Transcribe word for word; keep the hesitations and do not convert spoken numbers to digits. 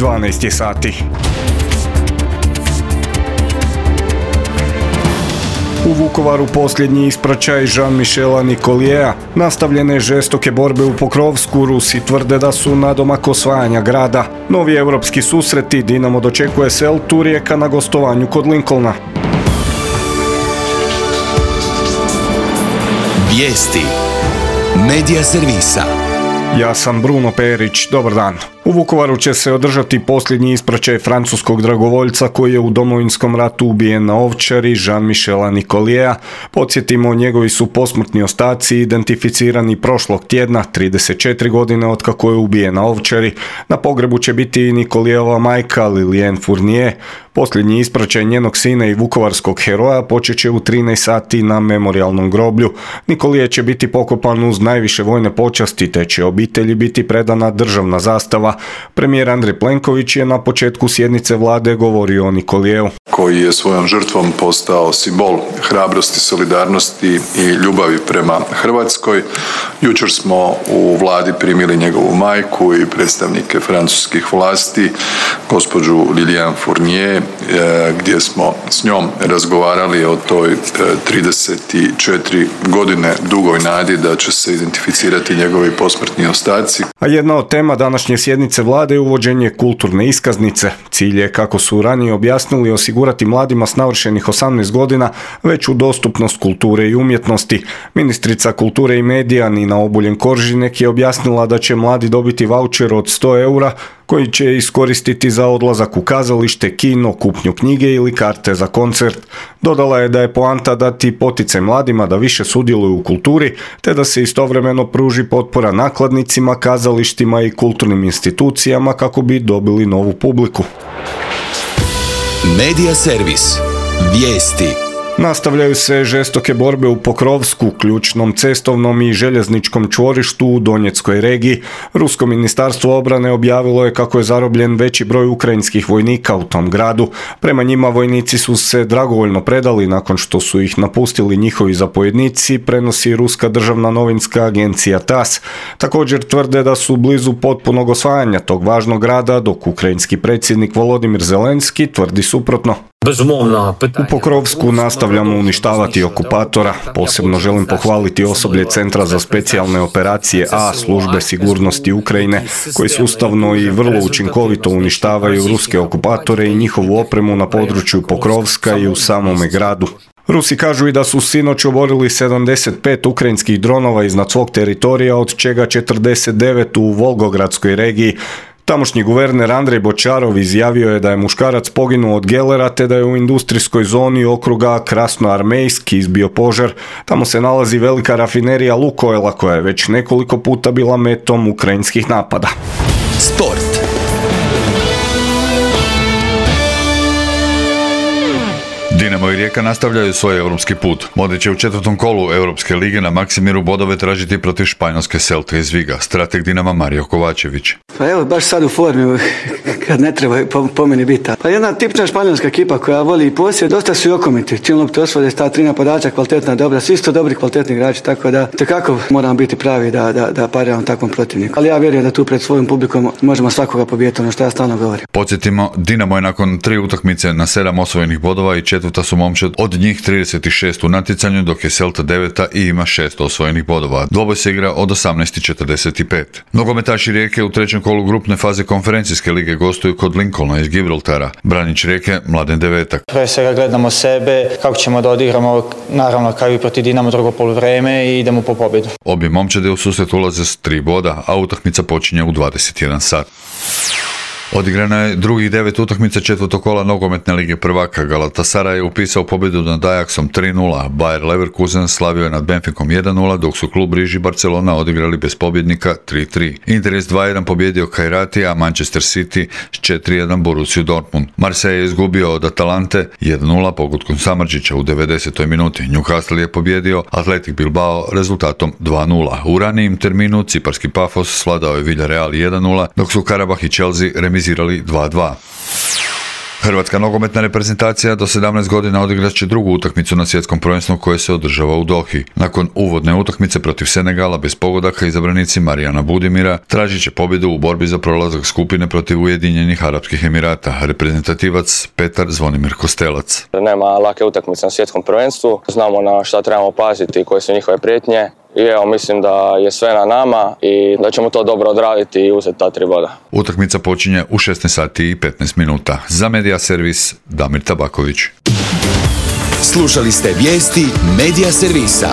dvanaest je sati. U Vukovaru posljednji ispraćaj Jean-Michela Nicoliera. Nastavljene žestoke borbe u Pokrovsku, Rusi tvrde da su nadomak osvajanja grada. Novi europski susreti, Dinamo dočekuje Celtu, Rijeka na gostovanju kod Lincolna. Vijesti Medija servisa. Ja sam Bruno Perić, dobar dan. U Vukovaru će se održati posljednji ispraćaj francuskog dragovoljca koji je u Domovinskom ratu ubijen na Ovčari, Jean-Michela Nicoliera. Podsjetimo, njegovi su posmrtni ostaci identificirani prošlog tjedna, trideset četiri godine od kako je ubijen na Ovčari. Na pogrebu će biti i Nicolierova majka Liliane Fournier. Posljednji ispraćaj njenog sina i vukovarskog heroja počet će u trinaest sati na memorijalnom groblju. Nicolier će biti pokopan uz najviše vojne počasti, te će obitelji biti predana državna zastava. Premijer Andrej Plenković je na početku sjednice vlade govorio o Nicolieru, koji je svojom žrtvom postao simbol hrabrosti, solidarnosti i ljubavi prema Hrvatskoj. Jučer smo u vladi primili njegovu majku i predstavnike francuskih vlasti, gospođu Liliane Fournier, gdje smo s njom razgovarali o toj trideset četiri godine dugoj nadi da će se identificirati njegovi posmrtni ostaci. A jedna od tema današnje sjednice vlade je uvođenje kulturne iskaznice. Cilj je, kako su ranije objasnili, osigurati mladima s navršenih osamnaest godina veću dostupnost kulture i umjetnosti. Ministrica kulture i medija Nina Obuljen-Koržinek je objasnila da će mladi dobiti vaučer od sto eura koji će iskoristiti za odlazak u kazalište, kino, kupnju knjige ili karte za koncert. Dodala je da je poanta dati poticaj mladima da više sudjeluju u kulturi, te da se istovremeno pruži potpora nakladnicima, kazalištima i kulturnim institucijama kako bi dobili novu publiku. Medija servis. Vijesti. Nastavljaju se žestoke borbe u Pokrovsku, ključnom cestovnom i željezničkom čvorištu u Donjeckoj regiji. Rusko ministarstvo obrane objavilo je kako je zarobljen veći broj ukrajinskih vojnika u tom gradu. Prema njima, vojnici su se dragovoljno predali nakon što su ih napustili njihovi zapovjednici, prenosi ruska državna novinska agencija TASS. Također tvrde da su blizu potpunog osvajanja tog važnog grada, dok ukrajinski predsjednik Volodimir Zelenski tvrdi suprotno. U Pokrovsku nastavljamo uništavati okupatora. Posebno želim pohvaliti osoblje Centra za specijalne operacije A službe sigurnosti Ukrajine, koji sustavno i vrlo učinkovito uništavaju ruske okupatore i njihovu opremu na području Pokrovska i u samome gradu. Rusi kažu i da su sinoć oborili sedamdeset pet ukrajinskih dronova iznad svog teritorija, od čega četrdeset devet u Volgogradskoj regiji. Tamošnji guverner Andrej Bočarov izjavio je da je muškarac poginuo od gelera, te da je u industrijskoj zoni okruga Krasnoarmejski izbio požar. Tamo se nalazi velika rafinerija Lukoila koja je već nekoliko puta bila metom ukrajinskih napada. Sport. Dinamo i Rijeka nastavljaju svoj europski put. Modrić će u četvrtom kolu Europske lige na Maksimiru bodove tražiti protiv španjolske Celte iz Viga. Strateg Dinama Mario Kovačević. Pa evo, baš sad u formi, kad ne treba po, po meni biti. Pa jedna tipična španjolska ekipa koja voli i posjed, dosta su i okomiti. Čim lopte osvode, sta tri napadača, kvalitetna, dobra, svi su to dobri, kvalitetni igrači, tako da tekako moramo biti pravi da, da, da pariramo takvom protivniku. Ali ja vjerujem da tu pred svojim publikom možemo svakoga pobijediti, ono što ja stalno govorim. Podsjetimo, Dinamo je nakon tri utakmice na sedam osvojenih bodova i četvrta su momčad, od njih trideset šest u natjecanju, dok je Celta deveta i ima šest osvojenih bodova. Dvoboj se igra od osamnaest i četrdeset pet. Nogometaši Rijeke u trećem kolu grupne faze konferencijske lige gostuju kod Lincolna iz Gibraltara. Branić Rijeke Mladen Devetak. Prije svega gledamo sebe, kako ćemo da odigramo, naravno kao i protiv Dinamo drugo poluvreme, i idemo po pobjedu. Obje momčade u susret ulaze s tri boda, a utakmica počinje u dvadeset jedan sat. Odigrano je drugih devet utakmica četvrtog kola nogometne lige prvaka. Galatasaray je upisao pobjedu nad Ajaxom tri nula, Bayer Leverkusen slavio je nad Benficom jedan nula, dok su klub Riži Barcelona odigrali bez pobjednika tri tri. Inter je s dva jedan pobjedio Kajrati, a Manchester City s četiri jedan Borussiju Dortmund. Marseille je izgubio od Atalante jedan nula pogodkom Samardžića u devedesetoj minuti. Newcastle je pobjedio Athletic Bilbao rezultatom dva nula. U ranijim terminu ciparski Pafos svladao je Villarreal jedan nula, dok su Karabah i Chelsea remizirali dva dva. Hrvatska nogometna reprezentacija do sedamnaest godina odigrat će drugu utakmicu na svjetskom prvenstvu koje se održava u Dohi. Nakon uvodne utakmice protiv Senegala bez pogodaka izabranici Marijana Budimira tražit će pobjedu u borbi za prolazak skupine protiv Ujedinjenih Arapskih Emirata, reprezentativac Petar Zvonimir Kostelac. Nema lake utakmice na svjetskom prvenstvu, znamo na šta trebamo paziti i koje su njihove prijetnje. I evo, mislim da je sve na nama i da ćemo to dobro odraditi i uzeti ta tri boda. Utakmica počinje u šesnaest sati i petnaest minuta. Za Media Servis, Damir Tabaković. Slušali ste vijesti Media Servisa.